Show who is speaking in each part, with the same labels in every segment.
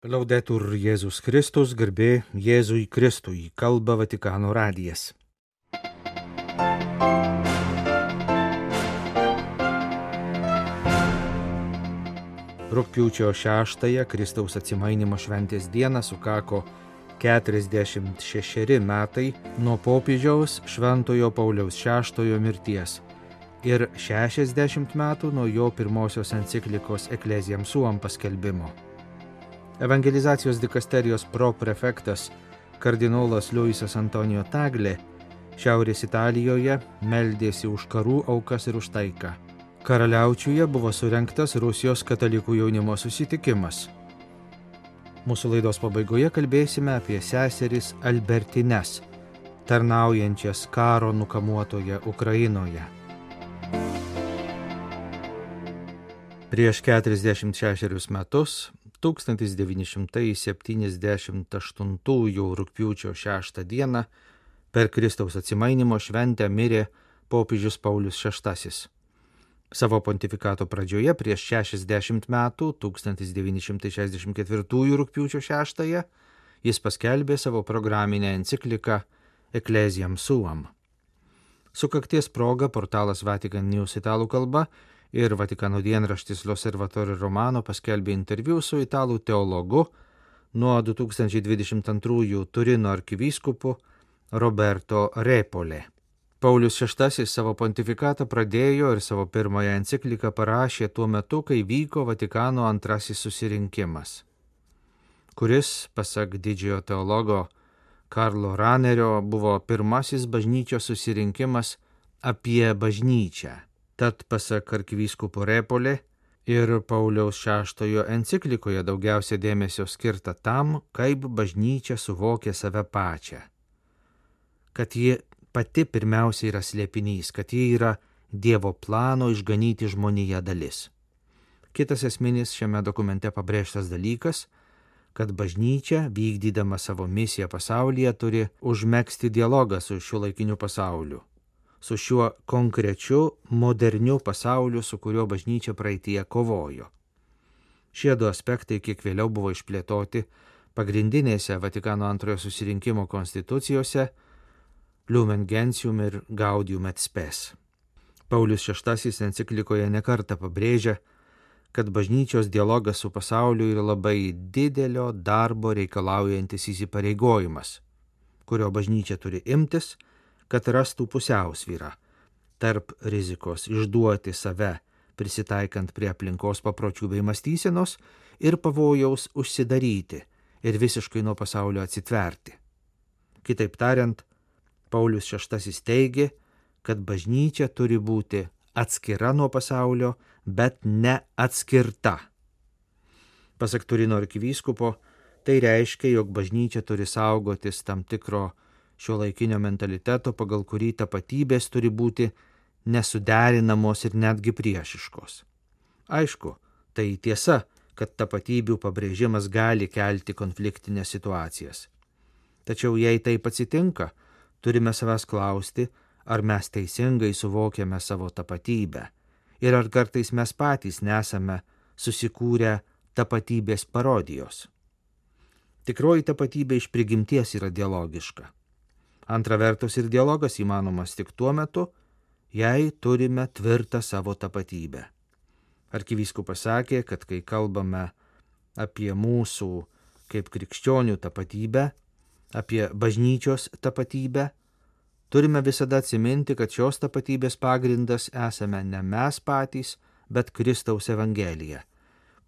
Speaker 1: Laudetur Jėzus Kristus, garbė Jėzui Kristui, kalba Vatikano radijas. Rugpjūčio 6-ąją Kristaus atsimainymo šventės dieną sukako 46 metai nuo popiežiaus Šventojo Pauliaus VI mirties ir 60 metų nuo jo pirmosios enciklikos Ecclesiam Suam paskelbimo. Evangelizacijos dikasterijos proprefektas kardinolas Luisas Antonijo Tagle Šiaurės Italijoje meldėsi už karų aukas ir už taiką. Karaliaučiuje buvo surengtas Rusijos katalikų jaunimo susitikimas. Mūsų laidos pabaigoje kalbėsime apie seseris Albertines, tarnaujančias karo nukamuotoje Ukrainoje. Prieš 46 metus 1978 rugpjūčio 6 dieną per Kristaus atsimainymo šventę mirė popiežius Paulius VI. Savo pontifikato pradžioje prieš 60 metų, 1964 rugpjūčio 6, jis paskelbė savo programinę encikliką Ecclesiam Suam. Sukakties proga portalas Vatican News italų kalba ir Vatikano dienraštis L'Osservatore Romano paskelbė interviu su italų teologu, nuo 2022 Turino arkivyskupu Roberto Repole. Paulius VI savo pontifikatą pradėjo ir savo pirmąją encikliką parašė tuo metu, kai vyko Vatikano antrasis susirinkimas, kuris, pasak didžiojo teologo Karlo Ranerio, buvo pirmasis bažnyčios susirinkimas apie bažnyčią. Tad, pasak arkivyskupo Repole, ir Pauliaus VI enciklikoje daugiausia dėmesio skirta tam, kaip bažnyčia suvokia save pačią. Kad ji pati pirmiausia yra slėpinys, kad ji yra Dievo plano išganyti žmoniją dalis. Kitas esminis šiame dokumente pabrėžtas dalykas, kad bažnyčia, vykdydama savo misiją pasaulyje, turi užmegzti dialogą su šiuolaikiniu pasauliu, su šiuo konkrečiu, moderniu pasauliu, su kuriuo bažnyčia praeityje kovojo. Šie du aspektai kiek vėliau buvo išplėtoti pagrindinėse Vatikano antrojo susirinkimo konstitucijose Lumen Gentium ir Gaudium et Spes. Paulius VI enciklikoje nekartą pabrėžia, kad bažnyčios dialogas su pasauliu yra labai didelio darbo reikalaujantis įsipareigojimas, kurio bažnyčia turi imtis, kad rastų pusiausvyrą tarp rizikos išduoti save, prisitaikant prie aplinkos papročių bei mąstysenos, ir pavojaus užsidaryti ir visiškai nuo pasaulio atsitverti. Kitaip tariant, Paulius VI teigė, kad bažnyčia turi būti atskira nuo pasaulio, bet ne atskirta. Pasak Turino arkivyskupo, tai reiškia, jog bažnyčia turi saugotis tam tikro šiuolaikinio mentaliteto, pagal kurį tapatybės turi būti nesuderinamos ir netgi priešiškos. Aišku, tai tiesa, kad tapatybių pabrėžimas gali kelti konfliktinės situacijas. Tačiau jei taip atsitinka, turime savęs klausti, ar mes teisingai suvokiame savo tapatybę ir ar kartais mes patys nesame susikūrę tapatybės parodijos. Tikroji tapatybė iš prigimties yra dialogiška. Antra vertus, ir dialogas įmanomas tik tuo metu, jei turime tvirtą savo tapatybę. Arkivyskupas sakė, kad kai kalbame apie mūsų kaip krikščionių tapatybę, apie bažnyčios tapatybę, turime visada atsiminti, kad šios tapatybės pagrindas esame ne mes patys, bet Kristaus Evangelija,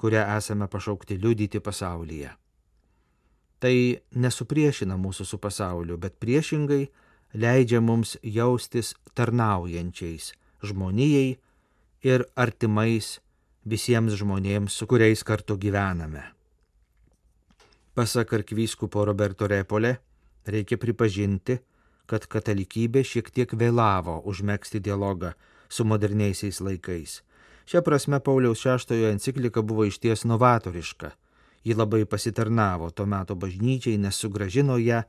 Speaker 1: kurią esame pašaukti liudyti pasaulyje. Tai nesupriešina mūsų su pasauliu, bet priešingai leidžia mums jaustis tarnaujančiais žmonijai ir artimais visiems žmonėms, su kuriais kartu gyvename. Pasak arkivyskupo Roberto Repole, reikia pripažinti, kad katalikybė šiek tiek vėlavo užmegzti dialogą su moderniaisiais laikais. Šia prasme Pauliaus VI enciklika buvo išties novatoriška. Ji labai pasitarnavo to meto bažnyčiai, nes sugrąžino ją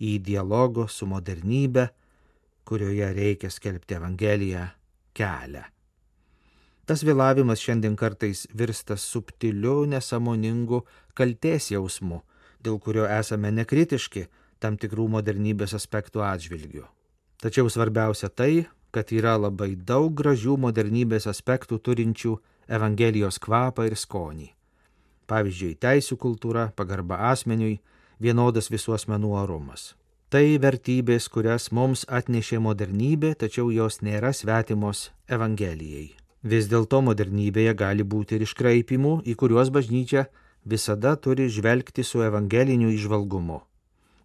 Speaker 1: į dialogo su modernybe, kurioje reikia skelbti Evangeliją, kelią. Tas vėlavimas šiandien kartais virsta subtiliu, nesąmoningu kaltės jausmu, dėl kurio esame nekritiški tam tikrų modernybės aspektų atžvilgiu. Tačiau svarbiausia tai, kad yra labai daug gražių modernybės aspektų turinčių Evangelijos kvapą ir skonį. Pavyzdžiui, teisių kultūra, pagarba asmeniui, vienodas visų asmenų orumas. Tai vertybės, kurias mums atnešė modernybė, tačiau jos nėra svetimos Evangelijai. Vis dėlto modernybėje gali būti ir iškraipimų, į kuriuos bažnyčia visada turi žvelgti su evangeliniu įžvalgumu.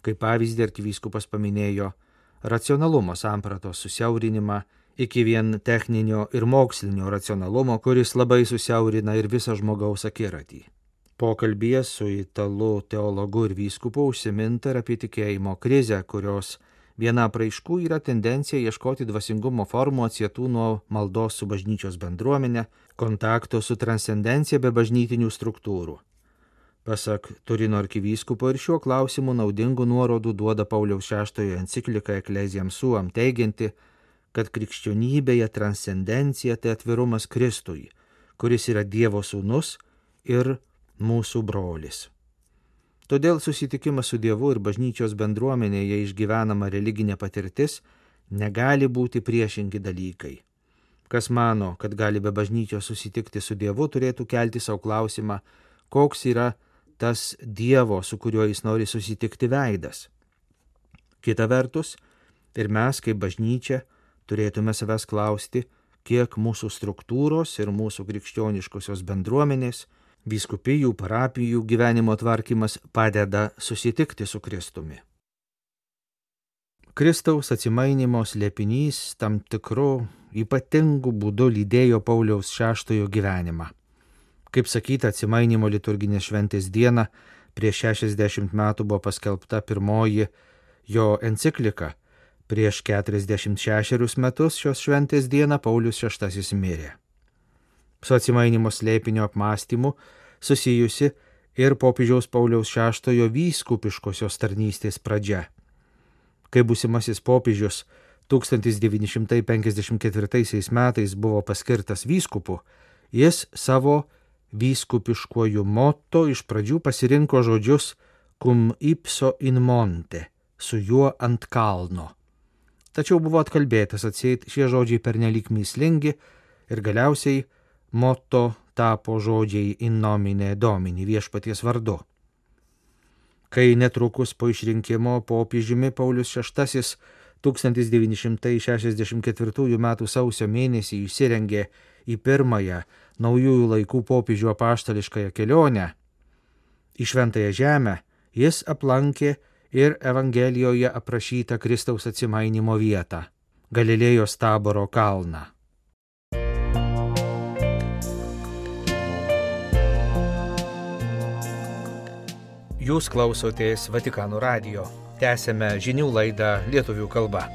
Speaker 1: Kaip pavyzdį arkivyskupas paminėjo racionalumo sampratos susiaurinimą iki vien techninio ir mokslinio racionalumo, kuris labai susiaurina ir visą žmogaus akiratį. Pokalbyje su italų teologu ir vyskupu užsiminta ir apie tikėjimo krizę, kurios viena apraiškų yra tendencija ieškoti dvasingumo formų atsietų nuo maldos su bažnyčios bendruomenė, kontakto su transcendencija be bažnytinių struktūrų. Pasak Turino arkivyskupo ir šiuo klausimu naudingų nuorodų duoda Pauliaus VI enciklika Ecclesiam Suam, teigianti, kad krikščionybėje transcendencija tai atvirumas Kristui, kuris yra Dievo sūnus ir mūsų brolis. Todėl susitikimas su Dievu ir bažnyčios bendruomenėje išgyvenama religinė patirtis negali būti priešingi dalykai. Kas mano, kad gali be bažnyčios susitikti su Dievu, turėtų kelti savo klausimą, koks yra tas Dievo, su kuriuo jis nori susitikti veidas. Kita vertus, ir mes kaip bažnyčia turėtume savęs klausti, kiek mūsų struktūros ir mūsų krikščioniškosios bendruomenės, vyskupijų, parapijų gyvenimo tvarkymas padeda susitikti su Kristumi. Kristaus atsimainymo slėpinys tam tikru ypatingu būdu lydėjo Pauliaus VI gyvenimą. Kaip sakyta, atsimainymo liturginės šventės dieną prieš 60 metų buvo paskelbta pirmoji jo enciklika. Prieš 46 metus šios šventės dieną Paulius VI mirė. Su atsimainymo slėpinio apmąstymu susijusi ir popiežiaus Pauliaus VI vyskupiškosios tarnystės pradžia. Kai būsimasis popiežius 1954 metais buvo paskirtas vyskupu, jis savo vyskupiškuoju motto iš pradžių pasirinko žodžius cum ipso in monte, su juo ant kalno. Tačiau buvo atkalbėtas atseit šie žodžiai pernelyg mįslingi ir galiausiai motto tapo žodžiai in nomine domini, viešpaties vardu. Kai netrukus po išrinkimo popiežiumi Paulius VI 1964 m. sausio mėnesį įsirengė į pirmąją naujųjų laikų popiežių apaštališkąją kelionę į Šventąją Žemę, jis aplankė ir Evangelijoje aprašytą Kristaus atsimainymo vietą – Galilėjos Taboro kalną. Jūs klausotės Vatikano radijo. Tęsėme žinių laidą lietuvių kalba.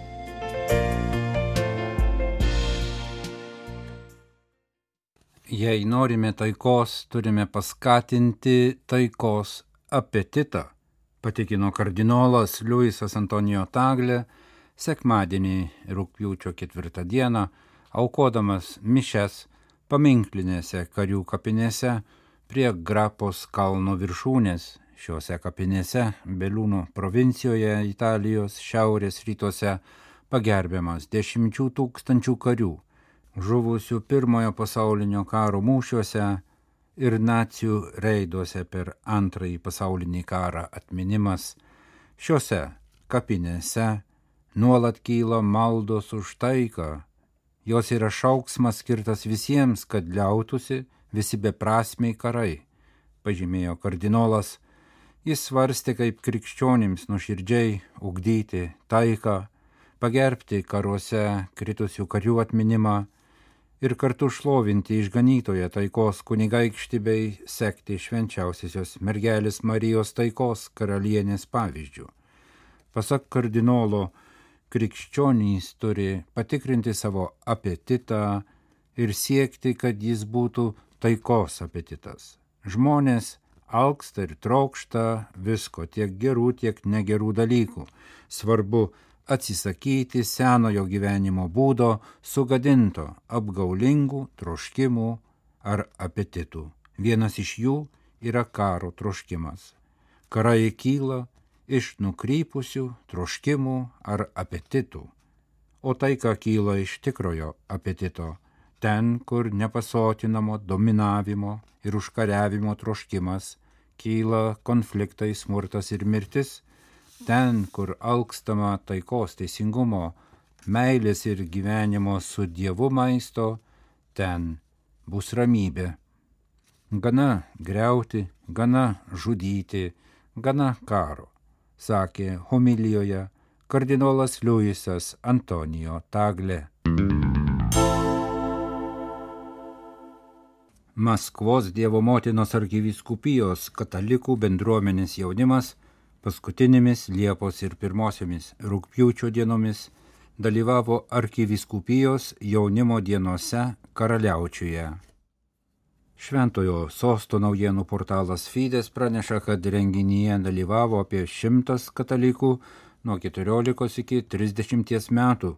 Speaker 2: Jei norime taikos, turime paskatinti taikos apetitą, patikino kardinolas Luisas Antonijo Tagle sekmadienį rugpjūčio 4 dieną, aukodamas mišias paminklinėse karių kapinėse prie Grapos kalno viršūnės. Šiuose kapinėse Belūno provincijoje Italijos šiaurės rytuose pagerbiamas 10 000 karių, žuvusių Pirmojo pasaulinio karo mūšiuose ir nacių reiduose per Antrąjį pasaulinį karą atminimas. Šiuose kapinėse nuolat kyla maldos už taiką. Jos yra šauksmas skirtas visiems, kad liautųsi visi beprasmiai karai, pažymėjo kardinolas. Jis svarstė, kaip krikščionims nuoširdžiai ugdyti taiką, pagerbti karuose kritusių karių atminimą ir kartu šlovinti išganytoją taikos kunigaikštį bei sekti švenčiausiosios mergelės Marijos taikos karalienės pavyzdžių. Pasak kardinolo, krikščionys turi patikrinti savo apetitą ir siekti, kad jis būtų taikos apetitas. Žmonės alksta ir trokšta visko, tiek gerų, tiek negerų dalykų. Svarbu atsisakyti senojo gyvenimo būdo sugadinto apgaulingų troškimų ar apetitų. Vienas iš jų yra karo troškimas. Karai kyla iš nukrypusių troškimų ar apetitų, o taika kyla iš tikrojo apetito, ten, kur nepasotinamo dominavimo ir užkariavimo troškimas, kyla konfliktai, smurtas ir mirtis, ten, kur alkstama taikos, teisingumo, meilės ir gyvenimo su Dievu maisto, ten bus ramybė. Gana griauti, gana žudyti, gana karo, sakė homilijoje kardinolas Luisas Antonijo Tagle. Maskvos Dievo motinos arkivyskupijos katalikų bendruomenės jaunimas paskutinėmis Liepos ir pirmosiomis rugpjūčio dienomis dalyvavo arkivyskupijos jaunimo dienose Karaliaučiuje. Šventojo sosto naujienų portalas Fides praneša, kad renginyje dalyvavo apie 100 katalikų nuo 14 iki 30 metų,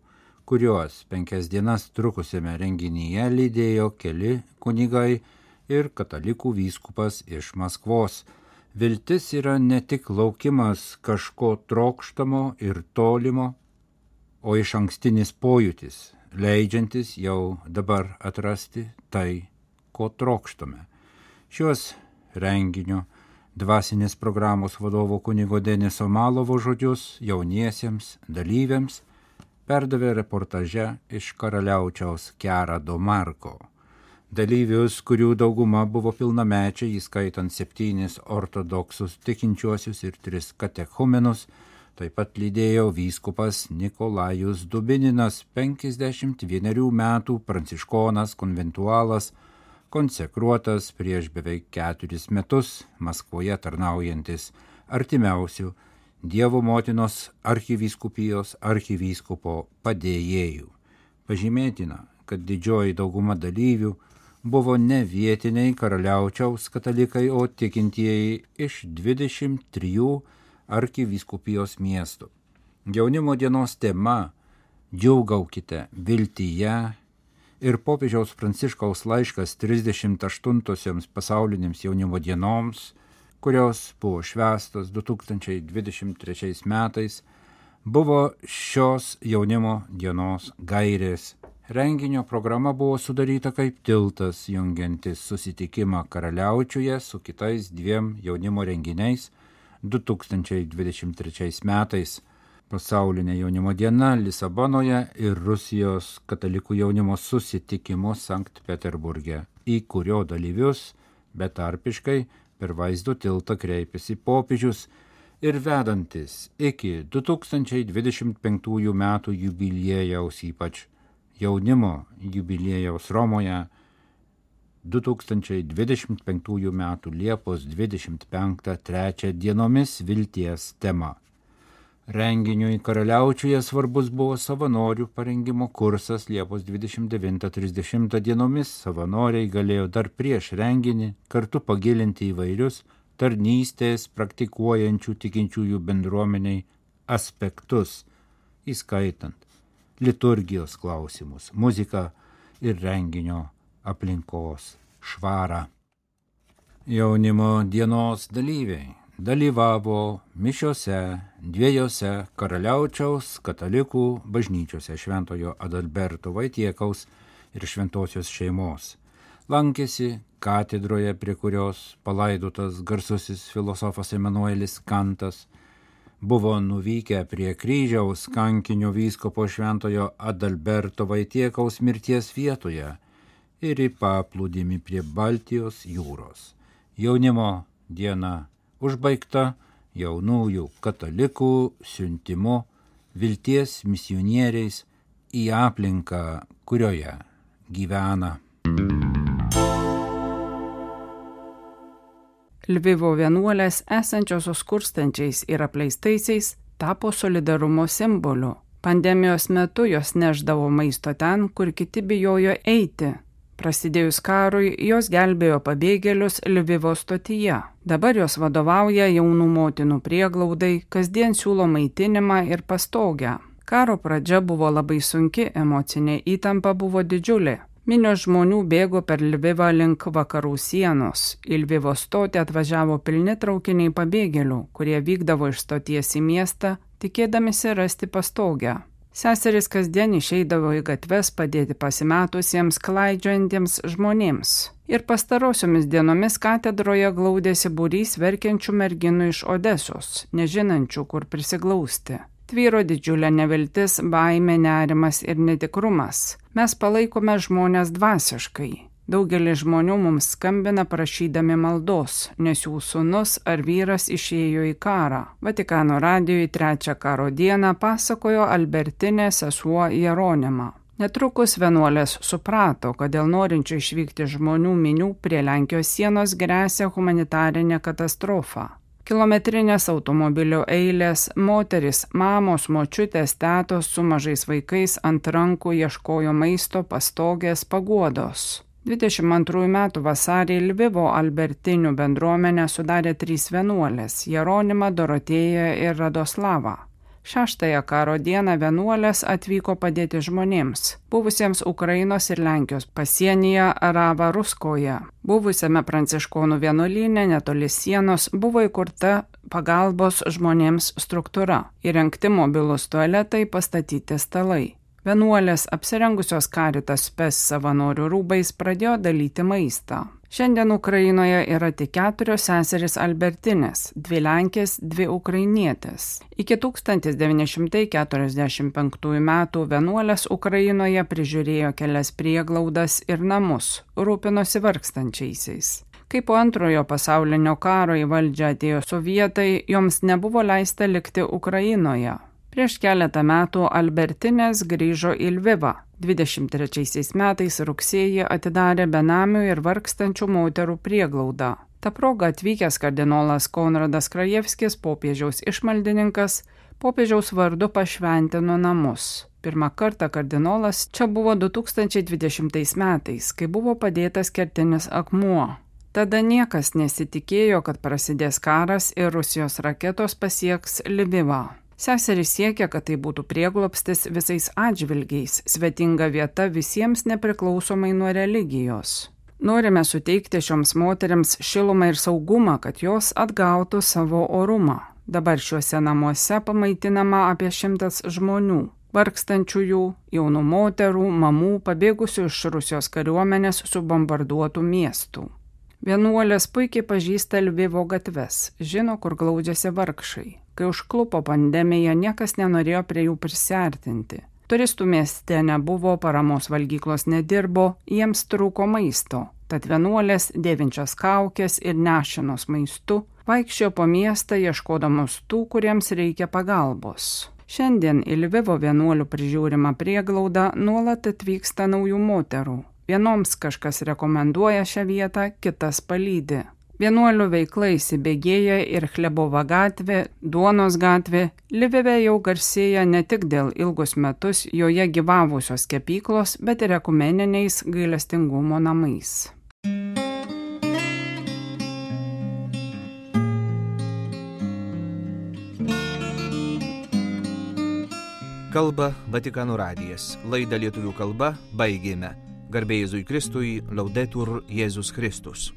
Speaker 2: kuriuos 5 dienas trukusiame renginyje lydėjo keli kunigai ir katalikų vyskupas iš Maskvos. Viltis yra ne tik laukimas kažko trokštamo ir tolimo, o išankstinis pojūtis, leidžiantis jau dabar atrasti tai, ko trokštame. Šios renginio dvasinės programos vadovo kunigo Deniso Malovo žodžius jauniesiems dalyviams perdavė reportaže iš Karaliaučiaus Kerado Marko. Dalyvius, kurių dauguma buvo pilnamečiai, įskaitant 7 ortodoksus tikinčiuosius ir 3 katechumenus, taip pat lydėjo vyskupas Nikolajus Dubininas, 51 metų pranciškonas, konventualas, konsekruotas prieš beveik 4 metus Maskvoje tarnaujantis artimiausių Dievo motinos arkivyskupijos arkivyskupo padėjėjų. Pažymėtina, kad didžioji dauguma dalyvių buvo ne vietiniai Karaliaučiaus katalikai, o tikintieji iš 23 arkivyskupijos miestų. Jaunimo dienos tema "Džiūgaukite viltyje" ir popiežiaus Pranciškaus laiškas 38 pasaulinėms jaunimo dienoms, kurios buvo švęstos 2023 metais, buvo šios jaunimo dienos gairės. Renginio programa buvo sudaryta kaip tiltas jungiantis susitikimą Karaliaučiuje su kitais 2 jaunimo renginiais 2023 metais. Pasaulinė jaunimo diena Lisabonoje ir Rusijos katalikų jaunimo susitikimu Sankt Peterburge, į kurio dalyvius betarpiškai per vaizdo tiltą kreipėsi popiežius ir vedantis iki 2025 metų jubiliejaus, ypač jaunimo jubiliejaus Romoje 2025 metų Liepos 25-3 dienomis vilties tema. Renginiui Karaliaučiuje svarbus buvo savanorių parengimo kursas Liepos 29-30 dienomis. Savanoriai galėjo dar prieš renginį kartu pagilinti įvairius tarnystės praktikuojančių tikinčiųjų bendruomeniai aspektus, įskaitant liturgijos klausimus, muziką ir renginio aplinkos švarą. Jaunimo dienos dalyviai dalyvavo mišiose 2 Karaliaučiaus katalikų bažnyčiose Šventojo Adalberto Vaitiekaus ir Šventosios šeimos. Lankėsi katedroje, prie kurios palaidotas garsusis filosofas Emanuelis Kantas, buvo nuvykę prie kryžiaus kankinio vyskupo Šventojo Adalberto Vaitiekaus mirties vietoje ir į paplūdimį prie Baltijos jūros. Jaunimo diena užbaigta jaunųjų katalikų siuntimu vilties misionieriais į aplinką, kurioje gyvena.
Speaker 3: Lvivo vienuolės esančios skurstančiais ir apleistaisiais tapo solidarumo simboliu. Pandemijos metu jos neždavo maisto ten, kur kiti bijojo eiti. Prasidėjus karui, jos gelbėjo pabėgėlius Lvivo stotyje. Dabar jos vadovauja jaunų motinų prieglaudai, kasdien siūlo maitinimą ir pastogę. Karo pradžia buvo labai sunki, emocinė įtampa buvo didžiulė. Minios žmonių bėgo per Lvivą link vakarų sienos. Į Lvivo stotį atvažiavo pilni traukiniai pabėgėlių, kurie vykdavo iš stoties į miestą, tikėdamisi rasti pastogę. Seserys kasdien išeidavo į gatves padėti pasimetusiems, klaidžiojantiems žmonėms. Ir pastarosiomis dienomis katedroje glaudėsi būrys verkiančių merginų iš Odesos, nežinančių, kur prisiglausti. Tvyro didžiulė neviltis, baimė, nerimas ir netikrumas. Mes palaikome žmonės dvasiškai. Daugelis žmonių mums skambina prašydami maldos, nes jų sūnus ar vyras išėjo į karą. Vatikano radijui 3 karo dieną pasakojo Albertinė sesuo Jeronima. Netrukus vienuolės suprato, kad dėl norinčių išvykti žmonių minių prie Lenkijos sienos gresia humanitarinė katastrofa. Kilometrinės automobilio eilės, moteris, mamos, močiutės, tetos su mažais vaikais ant rankų ieškojo maisto, pastogės, paguodos. 22 metų vasarį Lvivo Albertinių bendruomenę sudarė 3 vienuolės – Jeronima, Dorotėja ir Radoslava. 6 karo dieną vienuolės atvyko padėti žmonėms, buvusiems Ukrainos ir Lenkijos pasienyje Rava Ruskoje. Buvusiame pranciškonų vienuolyne netoli sienos buvo įkurta pagalbos žmonėms struktūra, įrengti mobilūs tualetai, pastatyti stalai. Vienuolės apsirengusios Caritas Spes savanorių rūbais pradėjo dalyti maistą. Šiandien Ukrainoje yra tik 4 seserys Albertinės, 2 lenkės, 2 ukrainietės. Iki 1945 metų vienuolės Ukrainoje prižiūrėjo kelias prieglaudas ir namus, rūpinosi vargstančiaisiais. Kai po Antrojo pasaulinio karo į valdžią atėjo sovietai, joms nebuvo leista likti Ukrainoje. Prieš keletą metų Albertinės grįžo į Lvivą. 23 metais rugsėjį atidarė benamių ir vargstančių moterų prieglaudą. Ta proga atvykęs kardinolas Konradas Krajevskis, popiežiaus išmaldininkas, popiežiaus vardu pašventino namus. Pirmą kartą kardinolas čia buvo 2020 metais, kai buvo padėtas kertinis akmuo. Tada niekas nesitikėjo, kad prasidės karas ir Rusijos raketos pasieks Lvivą. Seserys siekia, kad tai būtų prieglobstis visais atžvilgiais, svetinga vieta visiems nepriklausomai nuo religijos. Norime suteikti šioms moteriams šilumą ir saugumą, kad jos atgautų savo orumą. Dabar šiuose namuose pamaitinama apie 100 žmonių, vargstančiųjų, jaunų moterų, mamų, pabėgusių iš Rusijos kariuomenės subombarduotų miestų. Vienuolės puikiai pažįsta Lvivo gatves, žino, kur glaudžiasi vargšai. Kai užklupo pandemija, niekas nenorėjo prie jų prisiartinti. Turistų mieste nebuvo, paramos valgyklos nedirbo, jiems trūko maisto. Tad vienuolės, dėvinčios kaukės ir nešinos maistu, vaikščiojo po miestą ieškodamos tų, kuriems reikia pagalbos. Šiandien į Lvivo vienuolių prižiūrimą prieglaudą nuolat atvyksta naujų moterų. Vienoms kažkas rekomenduoja šią vietą, kitas palydi. Vienuolių veikla įsibėgėja ir Chlebova gatvė, Duonos gatvė, Lvive jau garsėja ne tik dėl ilgus metus joje gyvavusios kepyklos, bet ir ekumeniniais gailestingumo namais.
Speaker 1: Kalba Vatikano radijas. Laidą lietuvių kalba baigėme. Garbė Jėzui Kristui, Laudetur Jėzus Kristus.